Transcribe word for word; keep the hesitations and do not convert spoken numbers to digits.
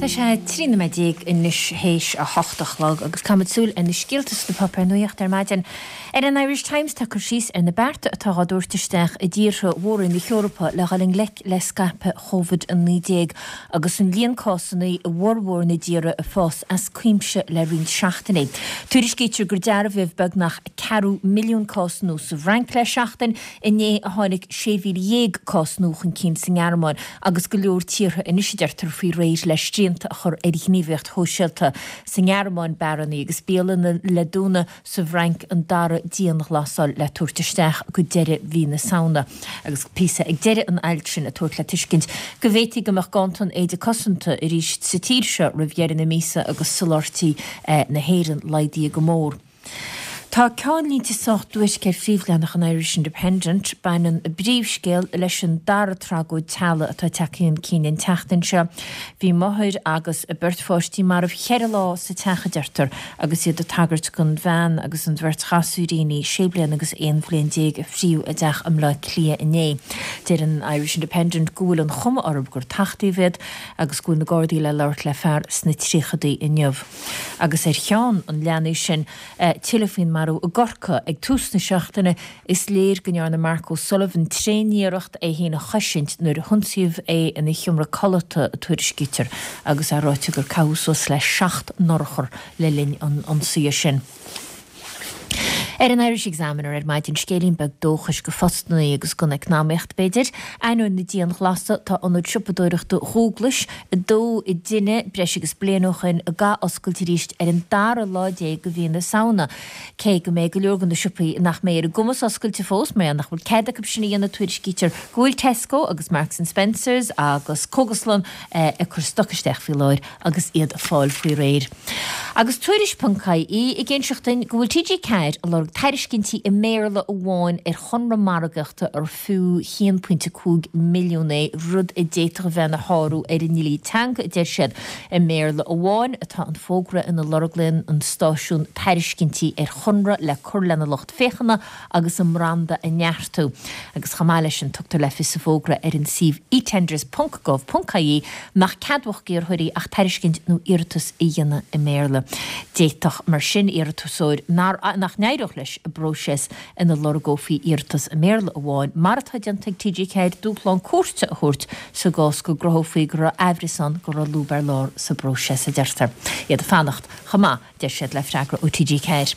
Tá sé trí nóiméad déag anois théis a hocht a chlog agus caithfimid súil ar na scéalta sna páipéir nuachta ar maidin. Ar an Irish Times tá cur síos ar na bearta atá á dtabhairt isteach i dtíortha mhóra na hEorpa le dhul i ngleic le scaipeadh Covid a naoi déag agus an líon cásanna i bhformhór na dtíortha ag fás as cuimse le roinnt seachtainí. Tuairiscítear gur dearbhaíodh beagnach ceathrú milliún cás nua sa Fhrainc le seachtain, inné a tháinig sé mhíle dhéag cás nua chun cinn sa nGearmáin agus go leor tíortha anois a deirtear faoi réir le srianta a chur ar ghníomhaíocht shóisialta. Sa nGearmáin beáranna agus bialanna le dúnadh, sa bhFrainc an dara dianghlasáil le tabhairt isteach go deireadh mhí na Samhna. Agus píosa ag deireadh an ailt sin ag tabhairt le tuiscint go bhféadfaí go mbeadh ganntan éide cosanta arís sa tír seo roimh dheireadh na míosa agus soláthairtí na hÉireann laghdaithe go mór. Tá ceannlínte sách duairce ar phríomhleathanach an Irish Independent. Baineann a bpríomhscéal leis an dara tragóid teaghlaigh atá tagtha chun cinn an tseachtain seo. Bhí máthair agus a beirt pháistí marbh ceithre lá sa teach, a deirtear, agus iad ag tagairt don bhean agus an bheirt ghasúiríní, sé bliana agus aon bhliain déag, a fríodh i dteach i mBleá Cliath inné. Deir an Irish Independent go bhfuil an chuma orthu gur tachtaíodh iad agus go bhfuil na Gardaí le labhairt le fear sna tríochadaí inniu. Agus ar cheann an leathanaigh sin, tuilleadh faoin marú i gCorcaigh ag tús na seachtaine, is léir go ndearna Mark O'Sullivan tréaniarracht é féin a chosaint nuair a hionsaíodh é ina sheomra codlata, a tuairiscítear, agus é ráite gur caitheadh suas le seacht n-urchar le linn an ionsaithe sin. Ar an Irish Examiner ar maidin, scéilín beag dóchais go phostannaí agus don eacnamaíocht, b'fhéidir. Ainneoin na dianghlasála, tá ionad siopadóireachta Dhúglais, a dódh i dtine breis agus bliain ó shoin, ag athoscailt arís ar an dara lá déag de mhí na Samhna. Cé go mbeidh go leor de na siopaí nach mbeidh ar a gcumas oscailte fós, mar nach bhfuil cead acu sin a dhéanamh, tuairiscítear go bhfuil Tesco agus Marks and Spencers agus cógaslann ag cur stoc isteach faoi láthair agus iad ag fáil faoi réir. Agus Tuairisc ponc ie ag inseacht dúinn go bhfuil T G Ceathair ag lorg tairiscintí i mBéarla amháin ar chonradh margaíochta ar fiú haon pointe cúig milliún é, rud a d'fhéadfadh a bheith ina shárú ar an ndlí teanga, a deir siad. I mBéarla amháin atá an fógra ina lorgaíonn an stáisiún tairiscintí ar chonradh le cur lena lucht féachana agus a mbranda a neartú. Agus chomh maith leis sin tugtar le fios sa bhfógra ar an suíomh etenders ponc gov ponc ie nach ceadmhach d'iarrthóirí ach tairiscint nó iarratas a dhéanamh i mBéarla. D'fhéadfadh, mar sin, iarratasóir nach n-éireodh leis i bpróiseas ina lorgófaí iarratas i mBéarla amháin, mar atá déanta ag T G Ceathair, dúshlán cúirte a thabhairt sa gcás go gcruthófaí go raibh aimhreas ann go raibh lúb ar lár sa bpróiseas, a deirtear. Iad ag fanacht chomh maith, deir siad, le freagra ó T G Ceathair.